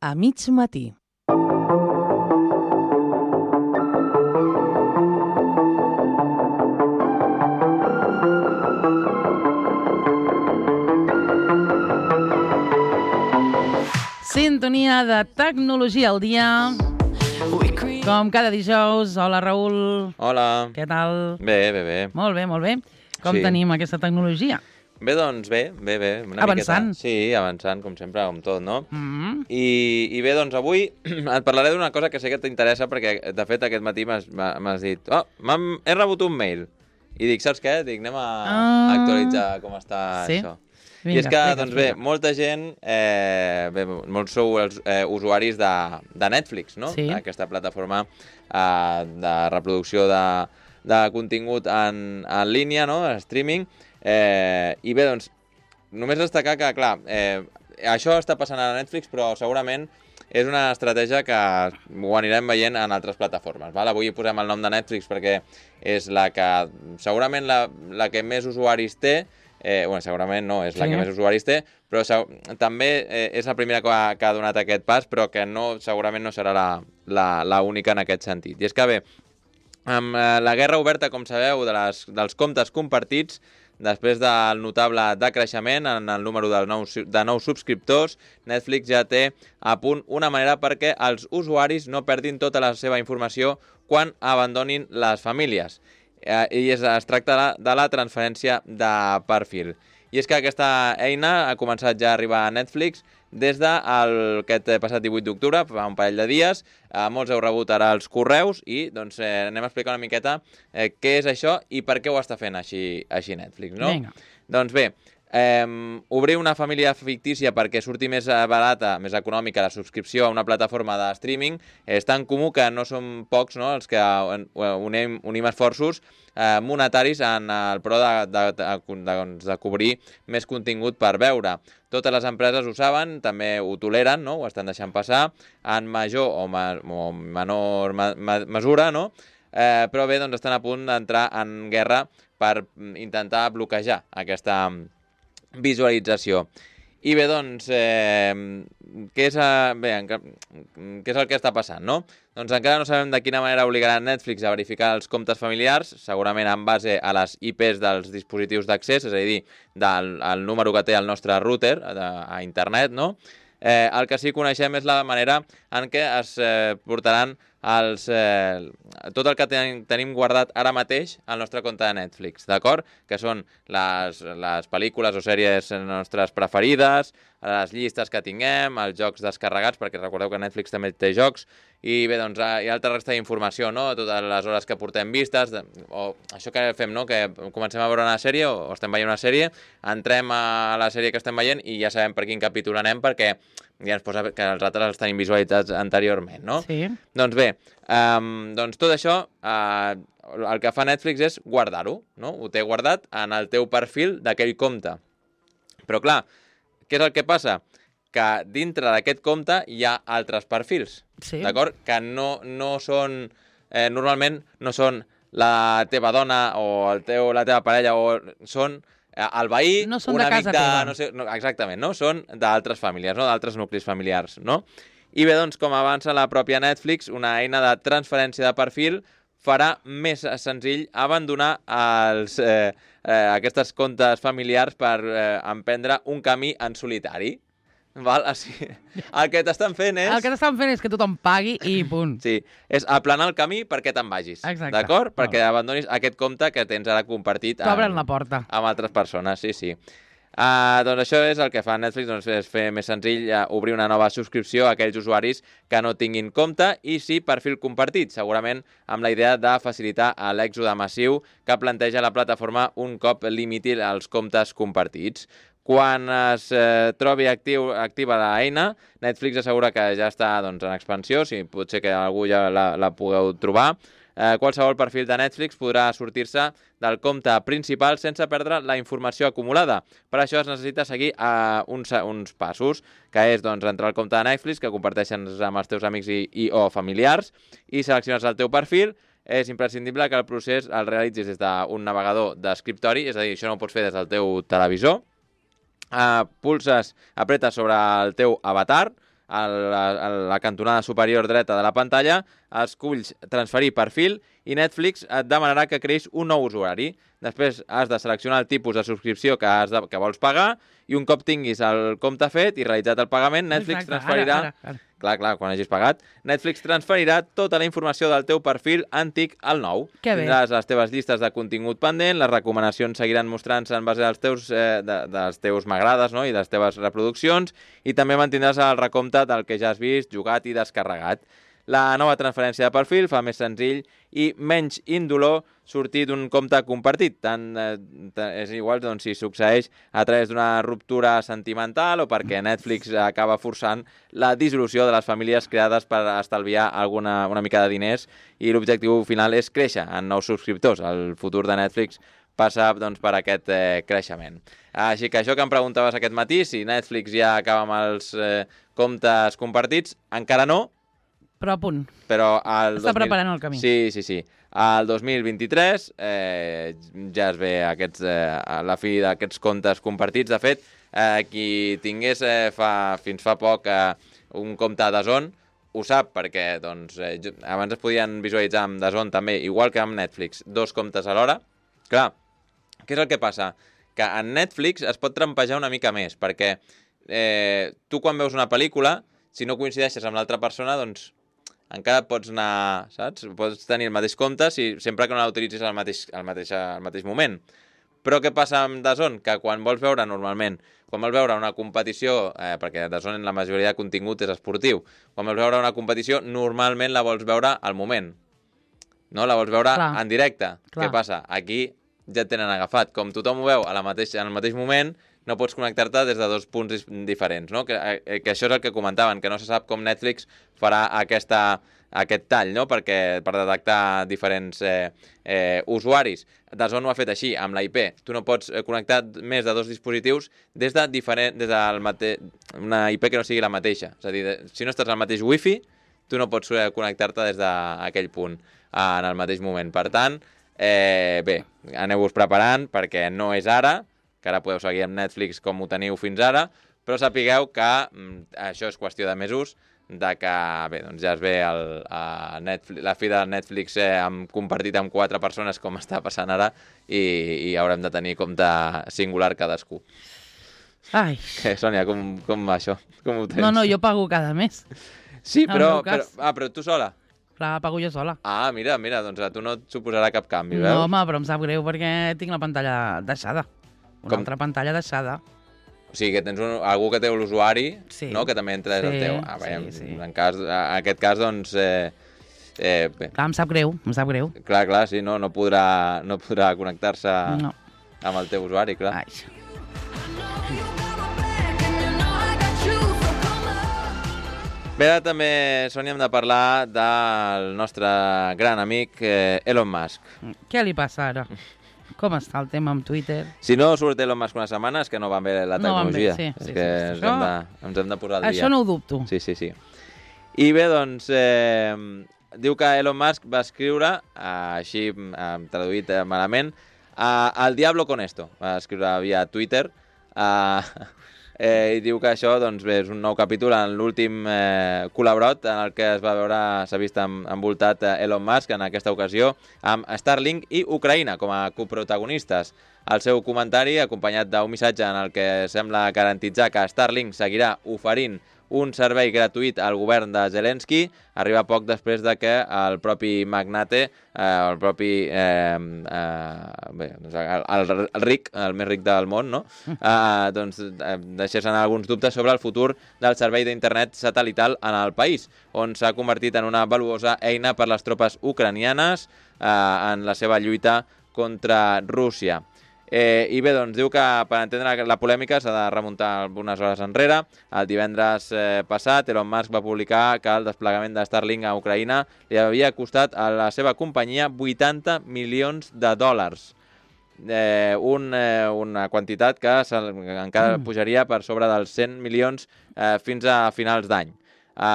a mig matí. Sintonia de tecnologia al dia. Com cada dijous. Hola, Raül. Hola. Què tal? Bé. Molt bé, molt bé. Com Sí. tenim aquesta tecnologia? Bé, doncs bé. Una Avançant. miqueta. Sí, avançant, com sempre, com tot, no? Mm. I bé, doncs avui et parlaré d'una cosa que sé que t'interessa perquè, de fet, aquest matí m'has dit he rebut un mail. I dic, saps què? Dic, anem a actualitzar com està això. Vinga, I és que, explica, doncs bé, molta gent, molts sou els usuaris de Netflix, no? Sí. Aquesta plataforma de reproducció de contingut en línia, no? Streaming. I bé, doncs, només destacar que, clar, això està passant a Netflix, però segurament és una estratègia que ho anirem veient en altres plataformes. Val? Avui posem el nom de Netflix perquè és la que, segurament, la que més usuaris té. Segurament no, és la que més usuaris té, però també és la primera que ha donat aquest pas, però que segurament no serà la única en aquest sentit. I és que, bé, amb la guerra oberta, com sabeu, dels comptes compartits, després del notable decreixement en el número de nous subscriptors, Netflix ja té a punt una manera perquè els usuaris no perdin tota la seva informació quan abandonin les famílies. I es tracta de la transferència de perfil. I és que aquesta eina ha començat ja a arribar a Netflix des d'aquest passat 18 d'octubre, fa un parell de dies. Molts heu rebut ara els correus i doncs, anem a explicar una miqueta què és això i per què ho està fent així Netflix, no? Vinga. Doncs bé, obrir una família fictícia perquè surti més barata, més econòmica la subscripció a una plataforma de streaming és tan comú que no som pocs, no?, els que unim esforços monetaris en el pro de cobrir més contingut per veure. Totes les empreses ho saben, també ho toleren, no?, ho estan deixant passar en major o menor mesura, no?, però bé, doncs estan a punt d'entrar en guerra per intentar bloquejar aquesta visualització. I bé, doncs, què és el que està passant, no? Doncs encara no sabem de quina manera obligarà Netflix a verificar els comptes familiars, segurament en base a les IPs dels dispositius d'accés, és a dir, del número que té el nostre router a internet, no? El que sí que coneixem és la manera en què es portaran tot el que tenim guardat ara mateix al nostre compte de Netflix, d'acord? Que són les pel·lícules o sèries nostres preferides, les llistes que tinguem, els jocs descarregats, perquè recordeu que Netflix també té jocs, i bé, doncs hi ha altra resta d'informació, no?, totes les hores que portem vistes, o això que fem, no?, que comencem a veure una sèrie o estem veient una sèrie, entrem a la sèrie que estem veient i ja sabem per quin capítol anem perquè ja ens posa que els altres els tenim visualitzats anteriorment, no? Sí. Doncs bé, doncs tot això, el que fa Netflix és guardar-ho, no? Ho té guardat en el teu perfil d'aquell compte. Però clar, què és el que passa? Que dintre d'aquest compte hi ha altres perfils, d'acord? Que no són, normalment no són la teva dona o la teva parella, o són el veí, no són un de amic casa teva. no sé, exactament, no? Són d'altres famílies, no? D'altres nuclis familiars, no? I bé, doncs, com avança la pròpia Netflix, una eina de transferència de perfil farà més senzill abandonar aquestes comptes familiars per emprendre un camí en solitari. Val? El que t'estan fent és... El que t'estan fent és que tothom pagui i punt. Sí, és aplanar el camí perquè te'n vagis. Exacte. D'acord? Perquè abandonis aquest compte que tens ara compartit T'obren la porta. Amb altres persones, sí. Doncs això és el que fa Netflix, doncs és fer més senzill obrir una nova subscripció a aquells usuaris que no tinguin compte i sí perfil compartit, segurament amb la idea de facilitar l'èxode massiu que planteja la plataforma un cop limiti els comptes compartits. Quan es trobi activa l'eina, Netflix assegura que ja està doncs, en expansió, si potser que algú ja la pugueu trobar. Qualsevol perfil de Netflix podrà sortir-se del compte principal sense perdre la informació acumulada. Per això es necessita seguir uns passos, que és doncs, entrar al compte de Netflix, que comparteixen amb els teus amics o familiars, i selecciones el teu perfil. És imprescindible que el procés el realitzis des d'un navegador d'escriptori, és a dir, això no ho pots fer des del teu televisor. Apretes sobre el teu avatar, la cantonada superior dreta de la pantalla, esculls transferir perfil i Netflix et demanarà que creïs un nou usuari. Després has de seleccionar el tipus de subscripció que vols pagar i un cop tinguis el compte fet i realitzat el pagament, Netflix transferirà... Ara. Clar, quan hagis pagat, Netflix transferirà tota la informació del teu perfil antic al nou. Que bé. Tindràs les teves llistes de contingut pendent, les recomanacions seguiran mostrant-se en base dels teus m'agrades, no? I de les teves reproduccions, i també mantindràs el recompte del que ja has vist, jugat i descarregat. La nova transferència de perfil fa més senzill i menys indolor sortir d'un compte compartit. És igual doncs, si succeeix a través d'una ruptura sentimental o perquè Netflix acaba forçant la dissolució de les famílies creades per estalviar una mica de diners i l'objectiu final és créixer en nous subscriptors. El futur de Netflix passa doncs, per aquest creixement. Així que això que em preguntaves aquest matí, si Netflix ja acaba amb els comptes compartits, encara no, però a punt. Però Està preparant el camí. Sí. Al 2023 ja es ve la fi d'aquests comptes compartits. De fet, qui tingués fins fa poc un compte a DAZN ho sap, perquè doncs, abans es podien visualitzar amb DAZN també, igual que amb Netflix, 2 comptes alhora. Clar, què és el que passa? Que en Netflix es pot trampejar una mica més, perquè tu quan veus una pel·lícula, si no coincideixes amb l'altra persona, doncs encara pots anar, saps? Pots tenir el mateix compte sempre que no l'utilitzis al mateix moment. Però què passa amb DAZN? Que quan vols veure una competició, perquè DAZN la majoria de contingut és esportiu, quan vols veure una competició normalment la vols veure al moment. No? La vols veure en directe. Clar. Què passa? Aquí ja et tenen agafat. Com tothom ho veu en el mateix moment, no pots connectar-te des de 2 punts diferents, no? Que això és el que comentaven, que no se sap com Netflix farà aquest tall, no? Per detectar diferents usuaris. DAZN ho ha fet així, amb la IP. Tu no pots connectar més de 2 dispositius des d'una IP que no sigui la mateixa. És a dir, si no estàs al mateix wifi, tu no pots connectar-te des d'aquell punt en el mateix moment. Per tant, bé, aneu-vos preparant perquè no és ara, que ara podeu seguir amb Netflix com ho teniu fins ara, però sapigueu que això és qüestió de mesos, de que bé, doncs ja es ve la fi de Netflix compartit amb 4 persones, com està passant ara, i haurem de tenir compte singular cadascú. Ai. Sònia, com va això? Com ho tens? No, jo pago cada mes. Sí, però tu sola? Clar, pago jo sola. Ah, mira, doncs a tu no et suposarà cap canvi, veus? No, home, però em sap greu perquè tinc la pantalla deixada. Altra pantalla deixada. O sigui, que tens algú que té l'usuari, no? Que també entra des del teu. Sí. En aquest cas, doncs... bé. Clar, em sap greu. Clar, sí, no podrà connectar-se amb el teu usuari, clar. Ai. Bé, ara també, Sònia, hem de parlar del nostre gran amic Elon Musk. Què li passa ara? Com està el tema amb Twitter? Si no surt Elon Musk una setmana és que no van bé la tecnologia. Sí, és que ens hem de posar al dia. Això no ho dubto. Sí. I bé, doncs, diu que Elon Musk va escriure, així traduït malament, al diablo con esto. Va escriure via Twitter, i diu que això doncs, bé, és un nou capítol en l'últim col·laborat en el que s'ha vist envoltat Elon Musk en aquesta ocasió amb Starlink i Ucraïna com a coprotagonistes. El seu comentari, acompanyat d'un missatge en el que sembla garantitzar que Starlink seguirà oferint un servei gratuït al govern de Zelensky, arriba poc després de que el propi magnate, el ric, el més ric del món, no? Doncs deixés anar alguns dubtes sobre el futur del servei d'internet satelital en el país, on s'ha convertit en una valuosa eina per les tropes ucranianes en la seva lluita contra Rússia. I bé, doncs diu que per entendre la polèmica s'ha de remuntar algunes hores enrere. El divendres passat, Elon Musk va publicar que el desplegament de Starlink a Ucraïna li havia costat a la seva companyia 80 milions de dòlars. Una quantitat que encara pujaria per sobre dels 100 milions fins a finals d'any.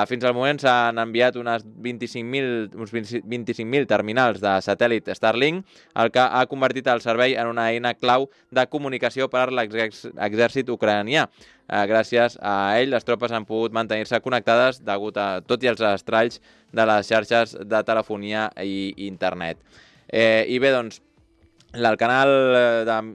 Fins al moment s'han enviat uns 25.000 terminals de satèl·lit Starlink, el que ha convertit el servei en una eina clau de comunicació per a l'exèrcit ucranià. Gràcies a ell, les tropes han pogut mantenir-se connectades degut a tot i els estralls de les xarxes de telefonia i internet. I bé, doncs, el canal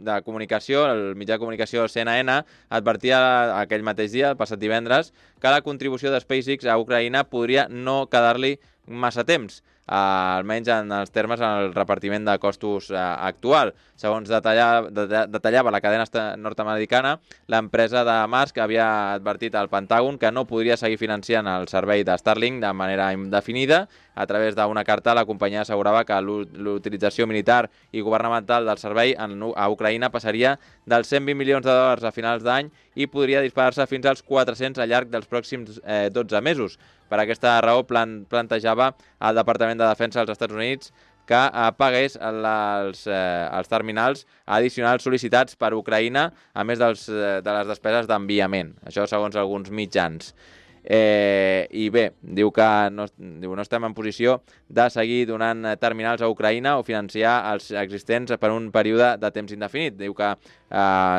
de comunicació, el mitjà de comunicació CNN, advertia aquell mateix dia, el passat divendres, que la contribució de SpaceX a Ucraïna podria no quedar-li massa temps, almenys en els termes en el repartiment de costos actual. Segons detallava la cadena nord-americana, l'empresa de Musk havia advertit al Pentàgon que no podria seguir financiant el servei de Starlink de manera indefinida. A través d'una carta, la companyia assegurava que l'utilització militar i governamental del servei a Ucraïna passaria dels 120 milions de dòlars a finals d'any i podria disparar-se fins als 400 al llarg dels pròxims 12 mesos. Per aquesta raó plantejava el Departament de Defensa dels Estats Units que pagués els terminals addicionals sol·licitats per Ucraïna, a més de les despeses d'enviament. Això segons alguns mitjans. I bé, diu que no estem en posició de seguir donant terminals a Ucraïna o financiar els existents per un període de temps indefinit. Diu que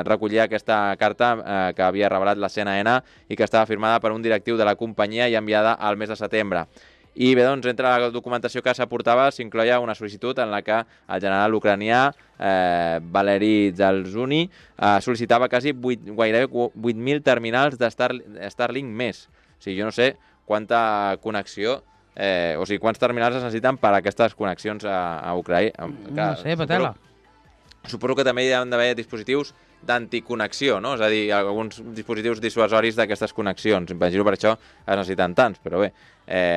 recollia aquesta carta que havia revelat la CNN i que estava firmada per un directiu de la companyia i enviada al mes de setembre. I bé, doncs, entre la documentació que s'aportava s'incloia una sol·licitud en la que el general ucranià Valery Zaluzhny sol·licitava gairebé 8.000 terminals de Starlink més. O sigui, jo no sé quanta connexió, quants terminals es necessiten per a aquestes connexions a Ucraïna. No sé, patela. Suposo que també hi ha d'haver dispositius d'anticonnexió, no? És a dir, alguns dispositius dissuasoris d'aquestes connexions. Imagino per això es necessiten tants, però bé,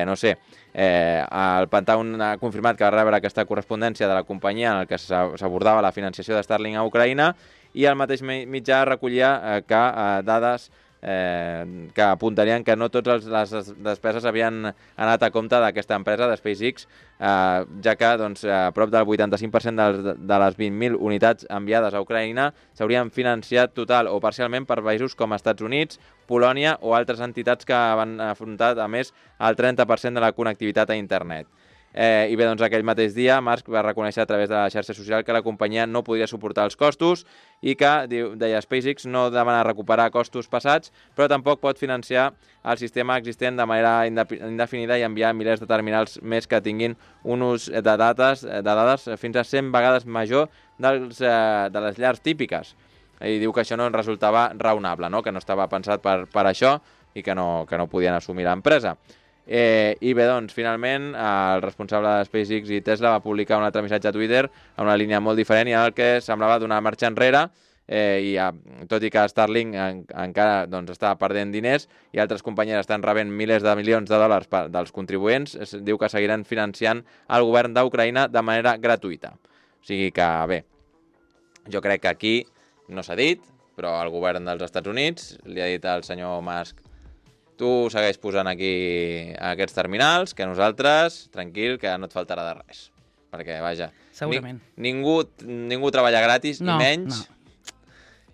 no sé. El Pentàgon ha confirmat que va rebre aquesta correspondència de la companyia en el que s'abordava la financiació de Starlink a Ucraïna i el mateix mitjà recollia que dades que apuntarien que no totes les despeses havien anat a compte d'aquesta empresa, de SpaceX, ja que prop del 85% de les 20.000 unitats enviades a Ucraïna s'haurien financiat total o parcialment per països com Estats Units, Polònia o altres entitats que van afrontar, a més, el 30% de la connectivitat a internet. I bé, doncs aquell mateix dia Musk va reconèixer a través de la xarxa social que la companyia no podia suportar els costos i que, deia SpaceX, no demana recuperar costos passats, però tampoc pot financiar el sistema existent de manera indefinida i enviar milers de terminals més que tinguin un ús de dades fins a 100 vegades major de les llars típiques. I diu que això no resultava raonable, no? Que no estava pensat per això i que no podien assumir l'empresa. I bé, doncs, finalment, el responsable de SpaceX i Tesla va publicar un altre missatge a Twitter amb una línia molt diferent i en el que semblava donar marxa enrere, tot i que Starlink encara està perdent diners i altres companyies estan rebent milers de milions de dòlars dels contribuents, diu que seguiran financiant el govern d'Ucraïna de manera gratuïta. O sigui que, bé, jo crec que aquí no s'ha dit, però el govern dels Estats Units li ha dit al senyor Musk: tu segueix posant aquí aquests terminals, que nosaltres, tranquil, que no et faltarà de res. Perquè, vaja, segurament. Ningú treballa gratis, i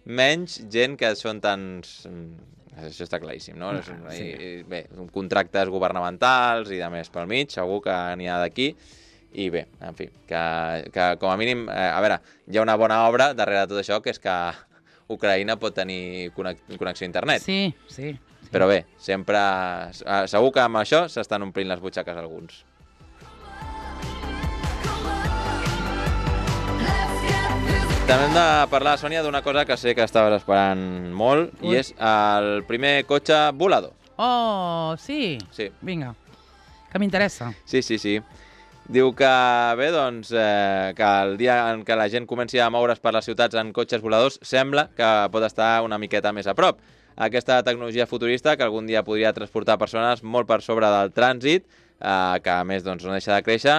menys gent que són tants... Això està claríssim, no? Sí. Bé, contractes governamentals i de més pel mig, segur que n'hi ha d'aquí. I bé, en fi, que com a mínim... A veure, hi ha una bona obra darrere de tot això, que és que Ucraïna pot tenir connexió a internet. Sí. Però bé, sempre... Segur que amb això s'estan omplint les butxaques alguns. També hem de parlar, Sònia, d'una cosa que sé que estaves esperant molt, i és el primer cotxe volador. Oh, sí? Sí. Vinga, que m'interessa. Sí. Diu que, bé, doncs, que el dia en què la gent comenci a moure's per les ciutats en cotxes voladors sembla que pot estar una miqueta més a prop. Aquesta tecnologia futurista, que algun dia podria transportar persones molt per sobre del trànsit, que a més no deixa de créixer,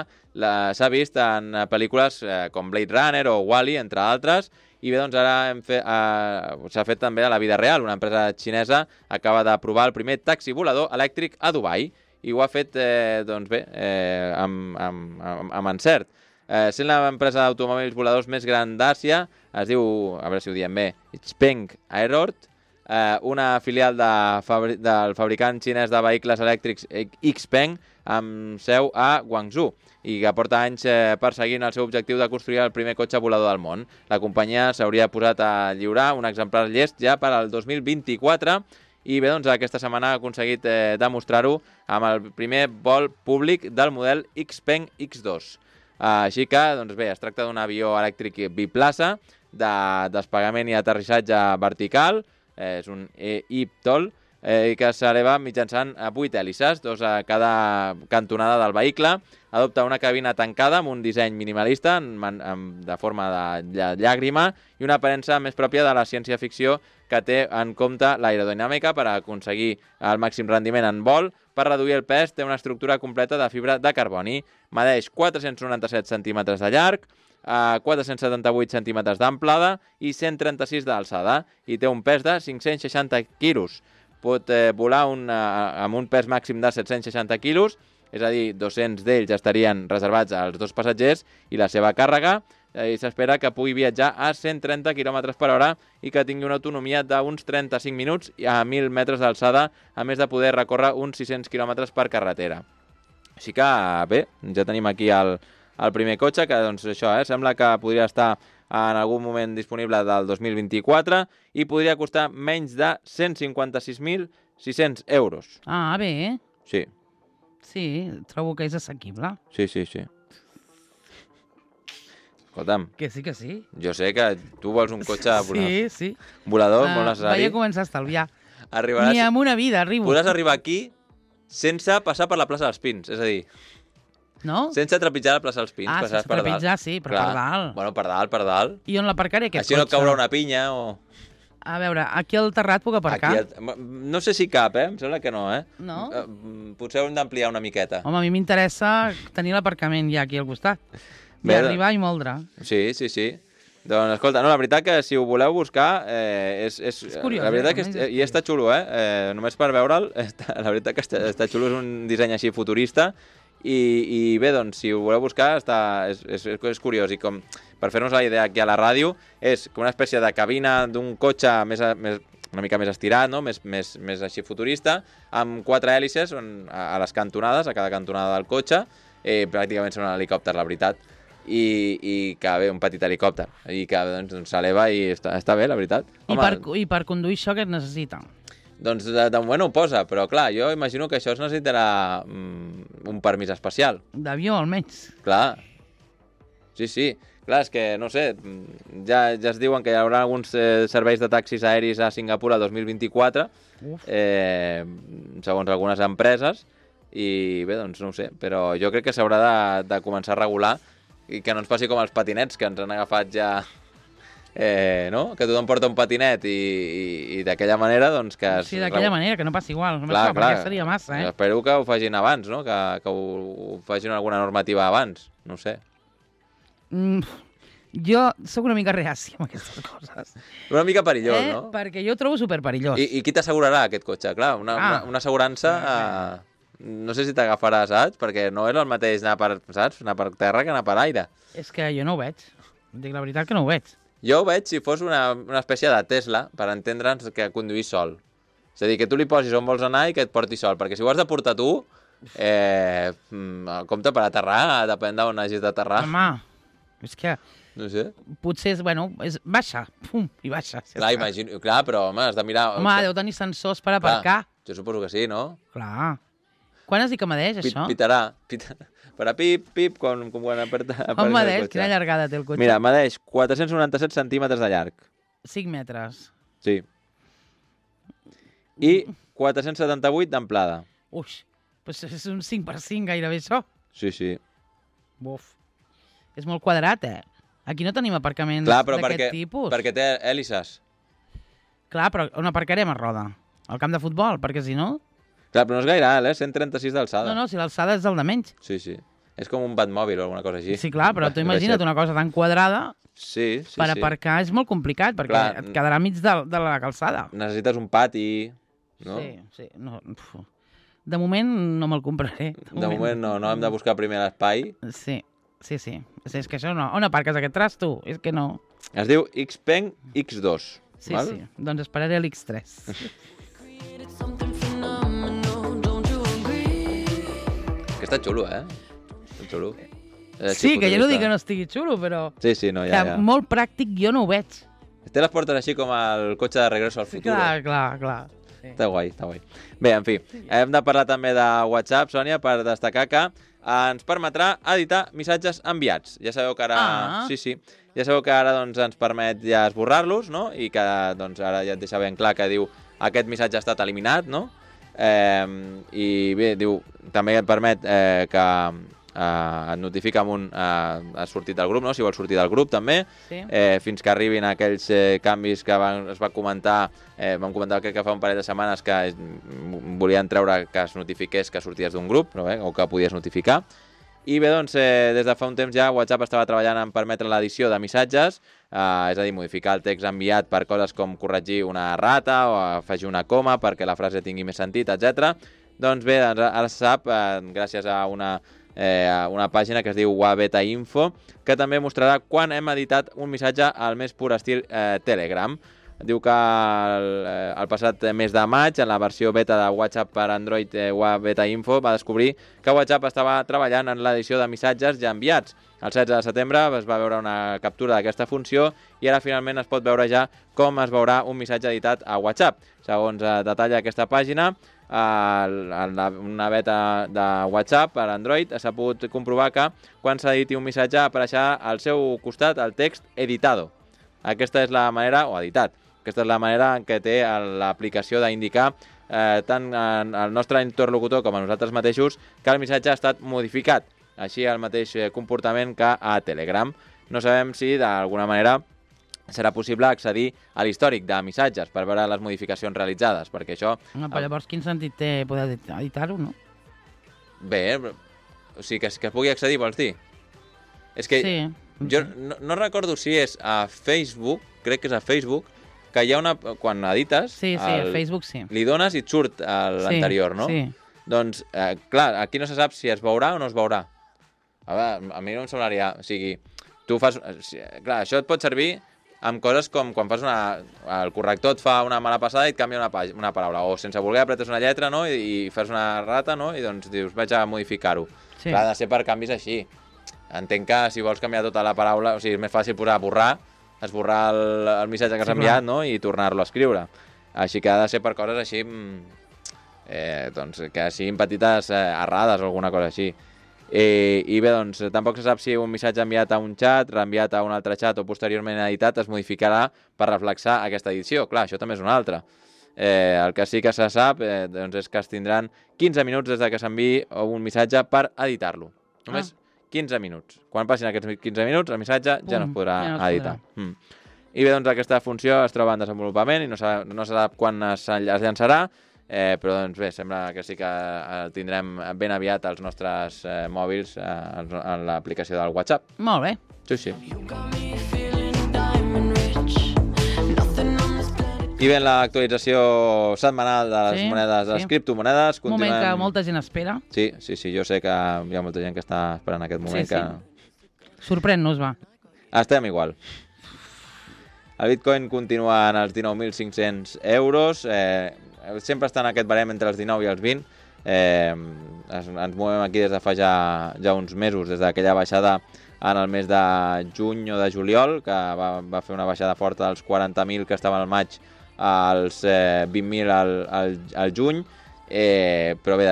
s'ha vist en pel·lícules com Blade Runner o Wall-E, entre altres, i bé, doncs ara s'ha fet també a la vida real. Una empresa xinesa acaba de provar el primer taxi volador elèctric a Dubai, i ho ha fet, amb encert. Sent l'empresa d'automòbils voladors més gran d'Àsia, es diu, a veure si ho diem bé, Xpeng Aerort, una filial del fabricant xinès de vehicles elèctrics Xpeng, amb seu a Guangzhou, i que porta anys perseguint el seu objectiu de construir el primer cotxe volador del món. La companyia s'hauria posat a lliurar un exemplar llest ja per al 2024, i bé, doncs aquesta setmana ha aconseguit demostrar-ho amb el primer vol públic del model Xpeng X2. Així que, doncs bé, es tracta d'un avió elèctric biplaça de desplegament i aterrissatge vertical, és un eVTOL, que s'eleva mitjançant 8 hèlices, 2 a cada cantonada del vehicle. Adopta una cabina tancada amb un disseny minimalista de forma de llàgrima i una aparença més pròpia de la ciència-ficció que té en compte l'aerodinàmica per aconseguir el màxim rendiment en vol. Per reduir el pes té una estructura completa de fibra de carboni. Medeix 497 centímetres de llarg, 478 centímetres d'amplada i 136 d'alçada, i té un pes de 560 quilos. Pot volar amb un pes màxim de 760 quilos, és a dir, 200 d'ells estarien reservats als 2 passatgers i la seva càrrega, i s'espera que pugui viatjar a 130 km per hora i que tingui una autonomia d'uns 35 minuts a 1.000 metres d'alçada, a més de poder recórrer uns 600 km per carretera. Així que, bé, ja tenim aquí el primer cotxe, que doncs això, sembla que podria estar en algun moment disponible del 2024 i podria costar menys de 156.600 euros. Ah, bé. Sí. Sí, trobo que és assequible. Sí. Escolta'm. Que sí. Jo sé que tu vols un cotxe sí. volador, molt necessari. Vaig a començar a estalviar. Arribaràs... Ni amb una vida arribo. Podràs arribar aquí sense passar per la plaça dels Pins, és a dir... No? Sense trepitjar la plaça dels Pins. Sense trepitjar, sí, però clar. Per dalt. Bueno, per dalt. I on l'aparcaré, aquest cotxe? Així no caurà una pinya o... A veure, aquí al terrat puc aparcar? No sé si cap, em sembla que no, No? Potser hem d'ampliar una miqueta. Home, a mi m'interessa tenir l'aparcament ja aquí al costat. I arribar i moldre. Sí. Doncs, escolta, no, la veritat que si ho voleu buscar, és curiós. La veritat que i està xulo, només per veure'l, la veritat que està xulo, és un disseny així futurista, i bé, doncs, si ho voleu buscar, és curiós, i com per fer-nos la idea aquí a la ràdio, és com una espècie de cabina d'un cotxe una mica més estirat, no? més així futurista, amb 4 hèlices a les cantonades, a cada cantonada del cotxe, pràcticament sembla un helicòpter, la veritat, i que bé, un petit helicòpter, i que doncs, s'eleva i està bé, la veritat. I per conduir això què et necessita? Doncs de moment ho posa, però clar, jo imagino que això es necessitarà un permís especial. D'avió, almenys. Clar, sí. Clar, és que, no sé, ja es diuen que hi haurà alguns serveis de taxis aèris a Singapur el 2024, segons algunes empreses, i bé, doncs no ho sé, però jo crec que s'haurà de començar a regular i que no ens passi com els patinets, que ens han agafat ja... no? Que tothom porta un patinet i d'aquella manera, doncs que... Sí, d'aquella manera, que no passi igual. Clar. Perquè seria massa, Espero que ho facin abans, no? Que ho facin alguna normativa abans, no ho sé. Jo soc una mica reàcia amb aquestes coses. Una mica perillós, no? Perquè jo ho trobo superperillós. I qui t'assegurarà aquest cotxe? Clar, una assegurança... No sé si t'agafarà, saps? Perquè no és el mateix anar per terra que anar per aire. És que jo no ho veig. Dic la veritat que no ho veig. Jo ho veig si fos una espècie de Tesla, per entendre'ns que conduir sol. És a dir, que tu li posis on vols anar i que et porti sol. Perquè si ho has de portar tu, compte per aterrar, depèn d'on hagis d'aterrar. Home, és que... No sé. Potser és baixa, pum, i baixa. Clar, imagino, però, home, has de mirar... Home, deu tenir sensors per aparcar. Jo suposo que sí, no? Clar. Quan has dit que medeix, això? Pitarà. Farà pip, quan aperta... On medeix? Quina llargada té el cotxe? Mira, medeix 497 centímetres de llarg. 5 metres. Sí. I 478 d'amplada. Ui, doncs és un 5x5 gairebé això. Sí. Buf. És molt quadrat, Aquí no tenim aparcaments d'aquest tipus. Perquè té hèlices. Clar, però on aparcarem a Roda? Al camp de futbol, perquè si no... Clar, però no és gaire alt, 136 d'alçada. No, si l'alçada és el de menys. Sí. És com un Batmòbil o alguna cosa així. Sí, clar, però tu imagina't una cosa tan quadrada per aparcar és molt complicat, perquè et quedarà mig de la calçada. Necessites un pati, no? Sí. No, de moment no me'l compraré. De moment no hem de buscar primer l'espai. Sí. És que això no... On aparques aquest tras, tu? És que no... Es diu Xpeng X2. Sí, val? Sí. Doncs esperaré l'X3. Que està xulo, Està xulo. Sí, que jo no dic que no estigui xulo, però... Sí, no, ja. Molt pràctic jo no ho veig. Té les portes així com el cotxe de Regreso al Futuro. Clar. Sí. Està guai. Bé, en fi, hem de parlar també de WhatsApp, Sònia, per destacar que ens permetrà editar missatges enviats. Ja sabeu que ara... Sí. Ja sabeu que ara doncs, ens permet ja esborrar-los, no? I que doncs, ara ja et deixa ben clar que diu aquest missatge ha estat eliminat, no? I bé, diu, també et permet que et notifica amb has sortit del grup, no? Si vols sortir del grup també, sí. Fins que arribin aquells canvis que es va comentar, vam comentar que fa un parell de setmanes que volien treure que es notifiqués que sorties d'un grup, però o que podies notificar. I bé, doncs, des de fa un temps ja WhatsApp estava treballant en permetre l'edició de missatges, és a dir, modificar el text enviat per coses com corregir una rata o afegir una coma perquè la frase tingui més sentit, etc. Doncs bé, ara se sap, gràcies a una pàgina que es diu Wabeta Info, que també mostrarà quan hem editat un missatge al més pur estil Telegram. Diu que el passat mes de maig, en la versió beta de WhatsApp per Android Wabeta Info, va descobrir que WhatsApp estava treballant en l'edició de missatges ja enviats. El 16 de setembre es va veure una captura d'aquesta funció i ara finalment es pot veure ja com es veurà un missatge editat a WhatsApp. Segons detalla aquesta pàgina, en una beta de WhatsApp per Android s'ha pogut comprovar que quan s'editi un missatge apareixerà al seu costat el text editado. Aquesta és la manera, o editat, aquesta és la manera en què té l'aplicació d'indicar tant al nostre interlocutor com a nosaltres mateixos que el missatge ha estat modificat. Així el mateix comportament que a Telegram. No sabem si d'alguna manera serà possible accedir a l'històric de missatges per veure les modificacions realitzades, perquè això... Però llavors quin sentit té poder editar-ho, no? Bé, o sigui, que es pugui accedir, vols dir? És que sí. Jo no recordo si és a Facebook, crec que és a Facebook, que hi ha una... Quan edites... Sí, a Facebook sí. Li dones i et surt l'anterior, no? Sí. Doncs, clar, aquí no se sap si es veurà o no es veurà. A veure, a mi no em semblaria... O sigui, tu fas... Clar, això et pot servir amb coses com quan fas el corrector et fa una mala passada i et canvia una paraula. O sense voler apretes una lletra, no? I fas una rata, no? I doncs dius, vaig a modificar-ho. Sí. Clar, ha de ser per canvis així. Entenc que si vols canviar tota la paraula... O sigui, és més fàcil posar esborrar el missatge que has enviat, no? I tornar-lo a escriure. Així que ha de ser per coses així... doncs que siguin petites errades o alguna cosa així. I bé, doncs, tampoc se sap si un missatge enviat a un xat, reenviat a un altre xat o posteriorment editat es modificarà per reflexar aquesta edició. Clar, això també és una altra. El que sí que se sap doncs és que es tindran 15 minuts des que s'enviï un missatge per editar-lo. Només 15 minuts. Quan passin aquests 15 minuts, el missatge ja no es podrà editar. I bé, doncs, aquesta funció es troba en desenvolupament i no se sap quan es llançarà, però doncs bé, sembla que sí que el tindrem ben aviat als nostres mòbils en l'aplicació del WhatsApp. Molt bé. Sí. I bé, l'actualització setmanal de les monedes, de les criptomonedes. Un moment que molta gent espera. Sí, jo sé que hi ha molta gent que està esperant aquest moment. Sí. Sorprèn-nos, va. Estem igual. El Bitcoin continua en els 19.500 euros, sempre està en aquest barem entre els 19 i els 20. Ens movem aquí des de fa ja uns mesos, des d'aquella baixada en el mes de juny o de juliol, que va fer una baixada forta dels 40.000 que estaven al maig als 20.000 al juny, però bé,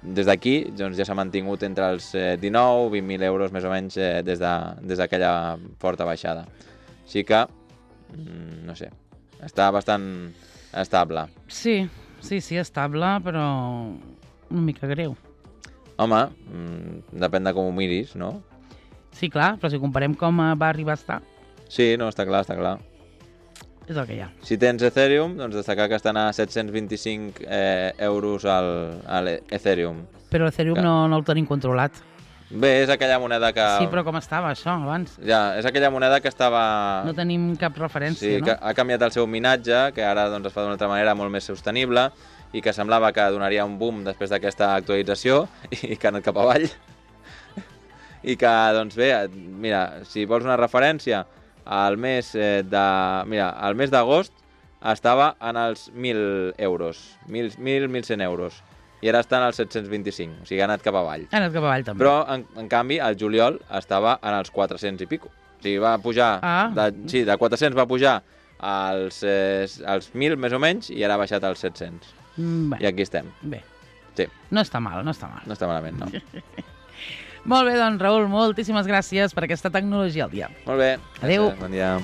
des d'aquí doncs ja s'ha mantingut entre els 19 i 20.000 euros més o menys des d'aquella forta baixada. Així que, no sé, està bastant estable. Sí, estable, però una mica greu. Home, depèn de com ho miris, no? Sí, clar, però si comparem com va arribar a estar... Sí, no, està clar. És el que hi ha. Si tens Ethereum, doncs destacar que estan a 725 euros al Ethereum. Però l'Ethereum no el tenim controlat. Bé, és aquella moneda que... Sí, però com estava això abans? Ja, és aquella moneda que estava... No tenim cap referència, no? Sí, que ha canviat el seu minatge, que ara doncs, es fa d'una altra manera molt més sostenible i que semblava que donaria un boom després d'aquesta actualització i que ha anat cap avall. I que, doncs bé, mira, si vols una referència, al mes d'agost estava en els 1.000 euros, 1.100 euros. I ara està en els 725, o sigui, ha anat cap avall. Ha anat cap avall, també. Però, en canvi, el juliol estava en els 400 i pico. O sigui, va pujar, de 400 va pujar als 1.000, més o menys, i ara ha baixat als 700. I aquí estem. Bé. Sí. No està mal, no està mal. No està malament, no. Molt bé, doncs, Raül, moltíssimes gràcies per aquesta tecnologia al dia. Molt bé. Adéu. Bon dia.